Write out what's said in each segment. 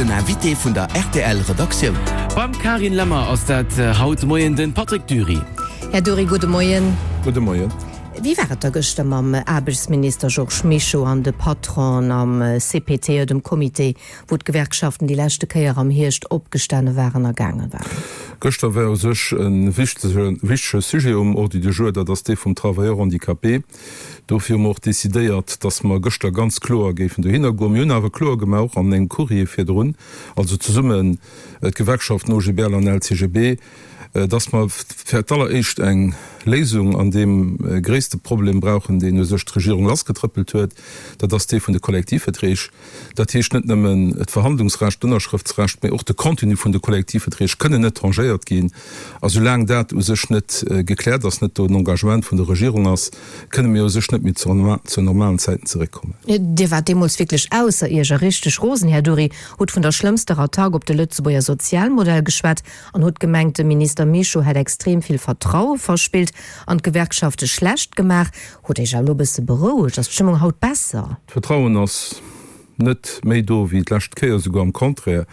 Den Invité vun der rtl Redaktioun. Beim Carine Lemmer ass dat haut de Moien den Patrick Dury. Här Dury, gudde Moien. Gudde Moien. Wéi war et da gëschter mam Aarbechtsminister Georges Mischo an de Patronen am CPTE, dem Comité, wou d'Gewerkschaften déi leschte Kéier am Hierscht opgestane waren a gaange waren? Gëschter war u sech e wichtege Sujet um Ordre du jour, dat ass dee vum Travailleur handicapé. Dofir hu mer och decidéiert, dass mer gëschter ganz kloer géifen dohinner goen. Mir hunn awer kloer gemaach, och an engem Courrier virdrun, also zesummen d'Gewerkschaften OGBL an LCGB, dass mer fir d'alleréischt eng Léisung an deem gréisste Problem brauchen, deen u sech d'Regierung lassgetrëppelt huet, dat ass dee vun de Kollektivverträg. Dat heescht net nëmmen d'Verhandlungsrecht, d'Ënnerschrëftsrecht, mä och de Contenu vun de Kollektivverträg kënnen net tangéiert ginn. A soulaang dat u sech net gekläert ass, net do en Engagement vun der Regierung ass, kënne mir u sech net méi zu normalen Zäiten zeréckkommen. Dir waart deemools wierklech ausser Iech a richteg rosen, Här Dury, hutt vun der schlëmmster Attack op de Lëtzebuerger Sozialmodell geschwat an hutt gemengt, de Minister Mischo hätt extrem vill Vertraue verspillt an d'Gewerkschafte schlecht gemaach. Hutt Iech awer elo e bësse berouegt? Ass d'Stëmmung haut besser? D'Vertrauen ass net méi do wéi d'lescht Kéier, esouguer am Contraire.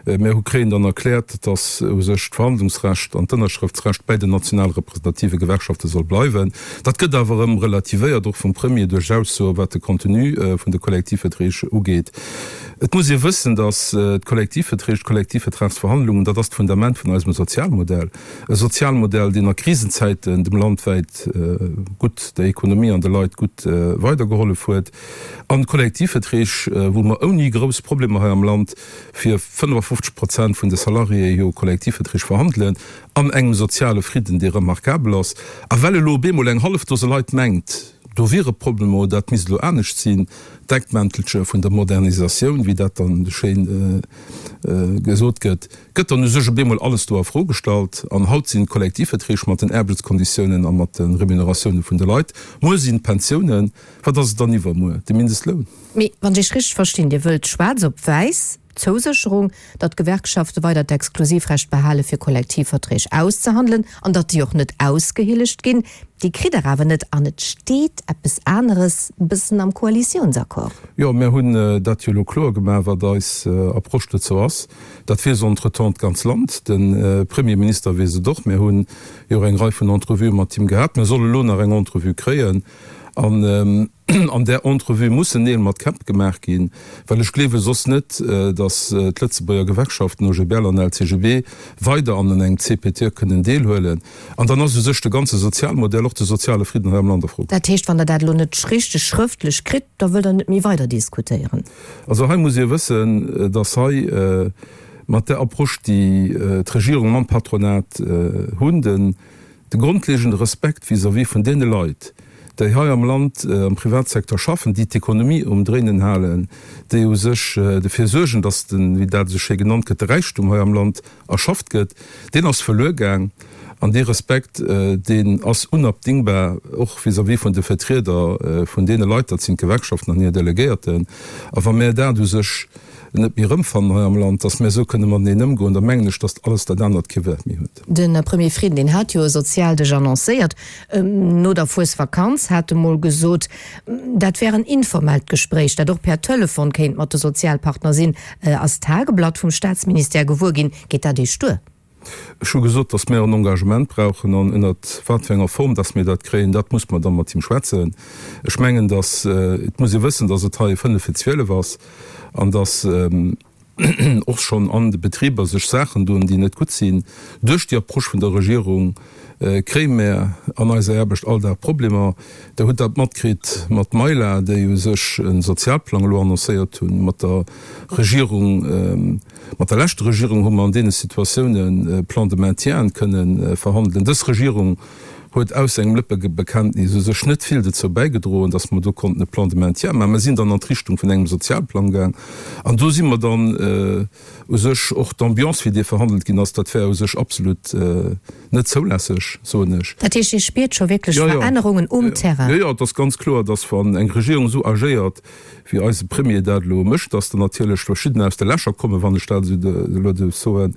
Mir hu kréien dann erkläert, datt u sech d'Verhandlungsrecht an d'Ënnerschrëftsrecht bäi den national representative Gewerkschafte soll bleiwen. Dat gëtt awer erëm relativéiert, och vum Premier, duerch Aussoe wat de Contenu vun de Kollektivverträg ugeet. Et muss ee wëssen, datt d'Kollektivverträg, d'Kollektivvertragsverhandlungen, dat ass d'Fundament vun eisem Sozialmodell. E Sozialmodell, deen a Krisenzäiten dem Land wäit gutt, der Ekonomie an de Leit gutt weidergehollef huet. An Kollektivverträg, wou mer ouni grouss Problemer hei am Land fir 55 Prozent vun de Salariéë jo Kollektivverträg verhandelen, an engem soziale Fridden, dee remarkabel ass. A well elo op eemol eng hallef Dose Leit mengt, do wiere Problemer oder dat misst elo anescht sinn, d'Deckmäntelche vun der Modernisatioun, wéi dat dann schéin gesot gëtt, gëtt dann u sech op eemol alles do a Fro gestallt. An haut sinn d'Kollektivverträg mat den Aarbechtskonditiounen a mat de Remuneratioune vun de Leit, muer sinn d'Pensiounen. Wat ass et dann iwwermuer? De Mindestloun? Mee wann ech Iech richteg verstinn, Dir wëllt schwaarz op wäiss d'Zousécherung, datt d'Gewerkschafte weider d'Exklusivrecht behale fir Kollektivverträg auszehandelen an datt déi och net ausgehillegt ginn. Déi kritt Der awer net an et steet eppes aneres bëssen am Koalitiounsaccord. Jo, mär hunn dat jo elo kloer gemaach, wat eis Approche dozou ass. Dat weess entretemps d'ganz Land. De Premierminister weess et och. Mär hunn jo och eng Rei vun Entrevuë mat him gehat. Mär solle lo nach eng Entrevue kréien. An an där Entrevue mussen Neel mat Käpp gemaach ginn, well ech gleewe soss net, datt d'Lëtzebuerger Gewerkschaften, OGBL an LCGB, weider an engem CPTE kënnen deelhuelen. An dann ass u sech de ganze Sozialmodell, och de soziale Fridden hei am Land a Fro. Dat heescht, wann Der dat elo net richteg schrëftlech kritt, da wëllt Der net méi weider diskutéieren? Also hei muss ee wëssen, datt hei mat där Approche, déi d'Regierung mam Patronat hunn, den, De grondlegende Respekt vis-à-vis vun deene Leit, déi hei am Land am Privatsecteur schaffen, déi d'Ekonomie um Dréinen halen, déi u sech dofir suergen, dass den, wéi dat esou schéi genannt gëtt, de Räichtum hei am Land erschafft gëtt, deen ass verluer gaang. An dee Respekt, deen ass unabdingbar, och vis-à-vis vun de Vertrieder vun deene Leit, dat sinn d'Gewerkschaften an hir Delegéierten. A wa mär dat u sech net méi erëmfannen hei am Land, dass mär esou kënne mateneen ëmgoen, da mengen ech, dass alles dat anert kee Wäert méi huet. De Premier Frieden, deen hat jo e Sozialdësch annoncéiert no der Fuesvakanz, hat emol gesot, dat wär en informellt Gespréich, dat och per Telefon kéint mat de Sozialpartner sinn, ass d'Tageblatt vum Staatsministère gewuer ginn. Geet dat Iech duer? Ech hu gesot, dass mär en Engagement brauchen an ënnert wat fir enger Form dass mir dat kréien, dat muss mer da mat him schwätzen. Ech mengen, dass, et muss ee wëssen, dass et hei fënnef fir 12 ass an dass, och schonn an de Betriber sech Saachen doen, déi net gutt sinn. Duerch déi Approche vun der Regierung kréie mär an eiser Aarbecht all Dag Problemer. Der hutt dat matkritt mat Maila, déi u sech e Sozialplang elo annoncéiert hunn. Mat der Regierung, mat der leschter Regierung hu mer an deene Situatiounen Plan de maintien kënnen verhandelen. Dës Regierung huet aus engem Lëppebekenntnis u sech net vill dozou bäigedroen, datt mer do konnten e Plan de maintien maachen. Mer sinn dann an d'Richtung vun engem Sozialplang gaang an do si mer dann u sech och d'Ambiance, wéi dee verhandelt ginn ass, dat war u sech absolut net zoulässeg, soen ech. Dat heescht, Dir spiert scho wierklech Verännerungen um Terrain? Jo, jo, et ass ganz kloer, datt wann eng Regierung esou agéiert, wéi eise Premier dat elo mécht, datt dann natierlech verschiddener aus de Lächer kommen, wann ech dat esou elo duerf soen.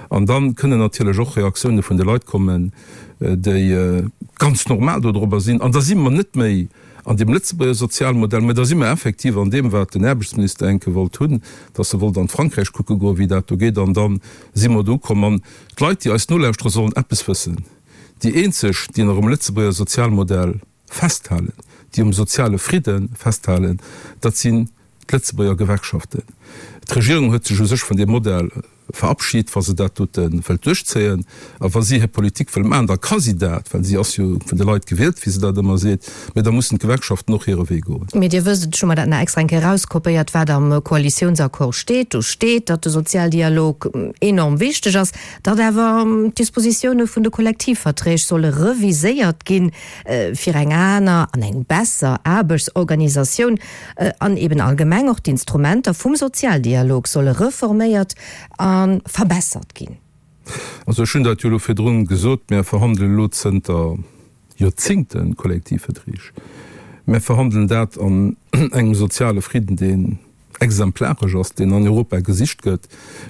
An da kënnen natierlech och Reaktioune vun de Leit kommen, déi ganz normal dodrobber sinn. An da si mer net méi. an deem Lëtzebuerger Sozialmodell, mä da si mer effektiv an deem, wat den Aarbechtsminister enke wollt hunn, dass e wollt an d'Frankräich kucke goen, wéi dat do geet, an da si mer do ukomm. An d'Leit, déi eis nolauschtere sollen eppes wëssen, Déi eenzeg, déi nach um Lëtzebuerger Sozialmodell festhalen, déi um soziale Fridde festhalen, dat sinn d'Lëtzebuerger Gewerkschaften. D'Regierung huet sech u sech vun deem Modell verabschit. Wa se dat dote wëllt duerchzéien a wa si hir Politik wëll maachen, da ka si dat, well si ass jo vun de Leit gewielt, wéi se dat ëmmer seet, mä da mussen d'Gewerkschaften och hire Wee goen. Mee Dir wësst et, ech hu mer dat nach extra eng Kéier erauskopéiert, wat am Koalitiounsaccord steet. Do steet, datt de Sozialdialog enorm wichteg ass, datt awer d'Dispositioune vun de Kollektivverträg solle reviséiert ginn, fir eng aner an eng besser Aarbechtsorganisatioun an eben allgemeng och d'Instrumenter vum Sozialdialog solle reforméiert a verbessert ginn. Also ech hunn dat jo elo virdrun gesot, Mär verhandelen elo zënter Joerzingte Kollektivverträg. Mär verhandelen dat an engem soziale Fridden, deen exemplaresch ass, deen an Europa gesicht gëtt.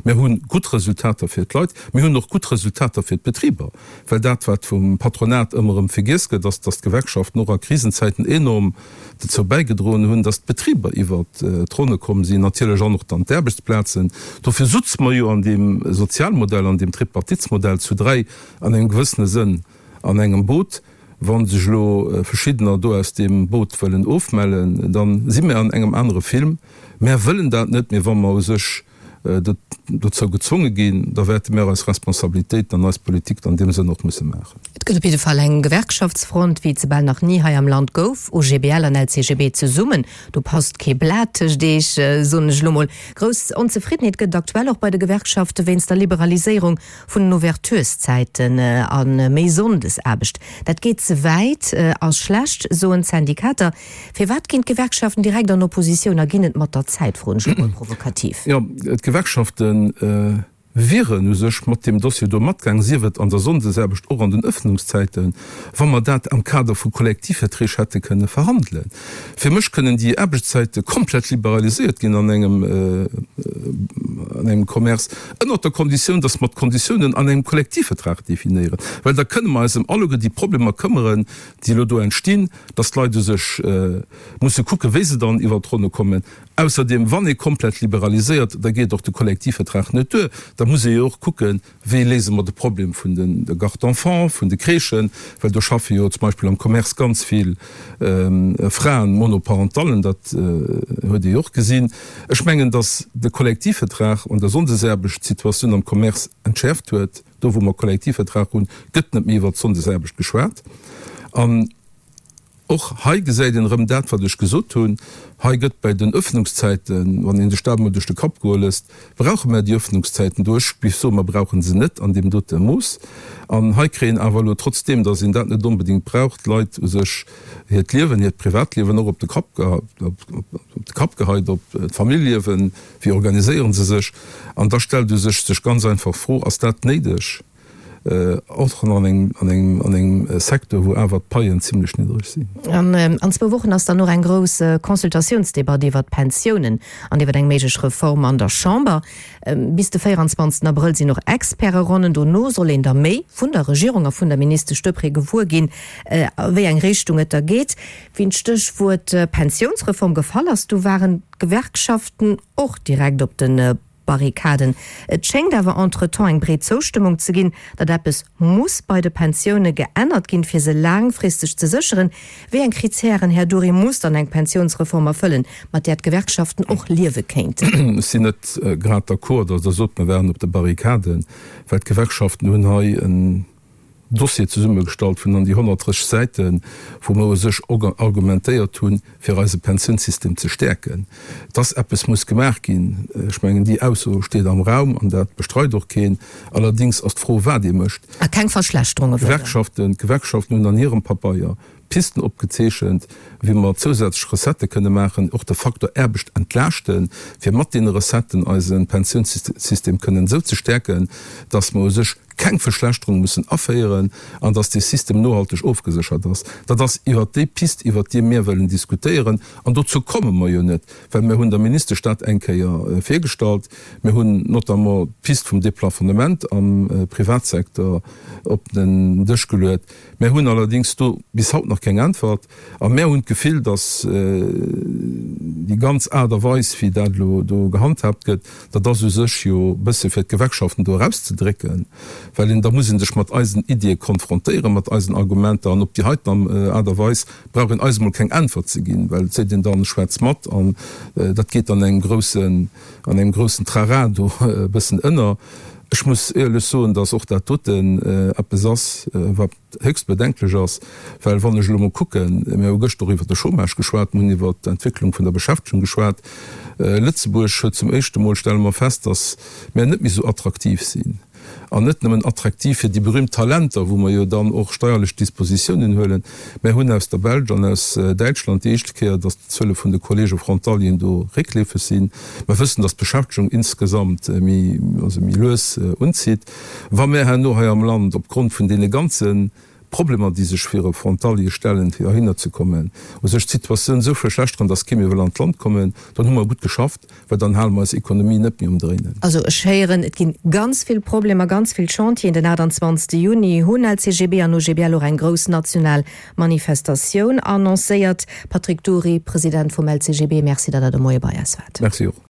Mir hu gutt Resultater fir d'Leit, mir hunn och gutt Resultater fir d'Betriber, well dat, wat vum Patronat ëmmer erëm vergiess gëtt, ass, datt d'Gewerkschaften och a Krisenzäiten enorm dozou bäigedroen hunn, datt d'Betriber iwwert d'Ronne komm sinn, natierlech an och dann d'Aarbechtsplazen. Dofir sutze mer jo an deem Sozialmodell, an deem Tripartitsmodell zu dräi an engem gewëssene Sënn an engem Boot. Wa sech elo verschiddener do aus deem Boot wëllen ofmellen, da si mir an engem anere Film. Mär wëllen dat net, mee wa mer u sech dozou gezwonge ginn, da wäerte mär eis Responsabilitéiten an eis Politik an deem Sënn och musse maachen. Et gëtt op jidde Fall eng Gewerkschaftsfront, wéi et se bal nach ni hei am Land gouf, OGBL an LCGB zesummen. Do passt kee Blat tëscht eech, soen ech elo mol. Grouss Onzefriddenheet gëtt et aktuell och bei de Gewerkschafte wéinst der Liberaliséierung vun den Ouvertureszäiten a méi Sonndesaarbecht. Dat geet ze wäit, ass schlecht, soen d'Syndikater. Firwat ginn d'Gewerkschaften direkt an Oppositioun a ginn et mat der Zäit, froen ech elo mol provokativ. Jo, d'Gewerkschafte wieren u sech mat deem Dossier do matgaang, sief et an der Sonndesaarbecht, och an den Ëffnungszäiten, wa mer dat am Kader vu Kollektivverträg hätte kënne verhandelen. Fir mech kënnen déi Aarbechtszäite komplett liberaliséiert ginn an engem, an engem Commerce, ënnert der Konditioun, dass mer d'Konditiounen an engem Kollektivvertrag definéieren, well da kënne mer eis ëm alleguer déi Problemer këmmeren, déi elo do entstinn, dass d'Leit u sech musse kucken, wéi se dann iwwert d'Ronne kommen. Ausserdeem, wann ee komplett liberaliséiert, da geet och de Kollektivvertrag net duer. Da muss ee jo och kucken, wéi léise mer de Problem vun de Gardes d'enfants, vun de Crèchen, well do schaffe jo zum Beispill am Commerce ganz vill Fraen, Monoparentallen, dat huet ee jo och gesinn. Ech mengen, dass de Kollektivvertrag an der Sonndesaarbecht d'Situatioun am Commerce entschäerft huet. Do, wou mer Kollektivvertrag hunn, gëtt net méi iwwert d'Sonndesaarbecht geschwat. An och hei gesäit een erëm dat, wat ech gesot hunn. Hei gëtt bei den Öffnungszäiten, wann ee sech dat emol duerch de Kapp goe lësst, brauche mer déi Öffnungszäiten do? Ech géif soen, mer brauche se net an deem dote Mooss. An hei kréien awer elo, trotzdeem datt een dat net onbedéngt brauch, d'Leit u sech hiert Liewen, hiert Privatliewen och op de Kapp, op de Kapp geheit, op d'Familljeliewen, Wéi organiséiere se sech? An da stellt u sech sech ganz einfach d'Fro, Ass dat néideg, och an engem, an engem, an engem Secteur, wou awer d'Paien zimlech niddreg sinn? An an zwou Wochen ass dann och eng grouss Consultatiounsdebatt iwwert d'Pensiounen an iwwert eng méiglech Reform an der Chamber. Bis de 24 Abrëll sinn och Experteronnen. Dono soll een da méi vun der Regierung a vun der Ministesch Deprez gewuer ginn, a wéi eng Richtung et da geet. Wéi d'Stéchwuert Pensiounsreform gefall ass, du waren d'Gewerkschaften och direkt op de Barrikaden. Et schéngt awer entretemps eng breet Zoustëmmung ze ginn, datt eppes muss bei de Pensioune geännert ginn, fir se laangfristeg ze sécheren. Wéi eng Kritären, Här Dury, muss dann eng Pensiounsreform erfëllen, mat där d'Gewerkschaften och liewe kéinten? Ech sinn net grad d'accord, datt Der sot, mer wären op de Barrikaden, well d'Gewerkschaften hunn hei en Dossier zesummegestallt vun an déi 130 Säiten, wou mer u sech argumentéiert hunn, fir eise Pensiounssystem ze stäerken, dass eppes muss gemaach ginn. Ech mengen, déi Ausso steet am Raum an dat bestreit och keen. Allerdéngs ass d'Fro, wat ee mécht. A keng Verschlechterunge wëllen. D'Gewerkschaften, d'Gewerkschaften hunn an hirem Pabeier Pisten opgezeechent, wéi mer zousätzlech Recettë kënne maachen, och de Faktor Aarbecht entlaaschten, fir mat deene Recetten eise Pensiounssystem kënnen esou ze stäerken, dass mer u sech. keng Verschlechterung mussen aféieren an dass dee System nohalteg ofgeséchert ass. Dat ass iwwert déi Pist, iwwert déi mir wëllen diskutéieren. An dozou komme mer jo net, well mir hunn der Ministesch dat eng Kéier virgestallt. Mir hunn notamment d'Pist vum Déplafonnement am Privatsecteur op den Dësch geluet. Mär hunn allerdéngs do bis haut nach keng Äntwert. A mär hunn d'Gefill, datt déi ganz Aart a Weis, wéi dat elo do gehandhaabt gëtt, dat ass u sech jo e bësse fir d'Gewerkschaften do erauszedrécken, well een, da muss ee sech mat eisen Iddie konfrontéieren, mat eisen Argumenter. An op déi heiten Aart a Weis brauch een eis emol keng Äntwert ze ginn, well et seet een dann, schwätz mat an dat geet an engem groussen, an engem groussen Trara do e bëssen ënner. Ech muss éierlech soen, datt och dat doten eppes ass, wat héchst bedenklech ass, well wann ech elo mol kucken, mir hu gëschter och iwwert de Chômage geschwat, mir hunn iwwert d'Entwécklung vun der Beschäftegung geschwat, Lëtzebuerg huet zum éischte Mol, stelle mer fest, datt mir net méi esou attraktiv sinn. An net nëmmen attraktiv fir déi berühmt Talenter, wou mer jo dann och steierlech Dispositiounen huelen. Mär hunn aus der Belsch an aus Däitschland déi éischte Kéier, datt d'Zuele vun de Kollege Frontalieren do réckleefeg sinn. Mer wëssen, datt d'Beschäftegung insgesamt méi, also méi lues unzitt. Wa mär herno hei am Land opgrond vun deene ganze Problemer, déi sech fir e Frontalier stellen, fir heihinner ze kommen, u sech d'Situatioun esou verschlechteren, datt kee méi wëll an d'Land kommen, dann hu mer gutt geschafft, well dann hale mer eis Ekonomie net méi um Dréinen. Also ech héieren, et ginn ganz vill Problemer, ganz vill Chantieren. Den 28 Juni hunn LCGB an OGBL och eng grouss national Manifestatioun annoncéiert. Patrick Dury, President vum LCGB, Merci, datt Der de Moie bei eis waart. Merci och.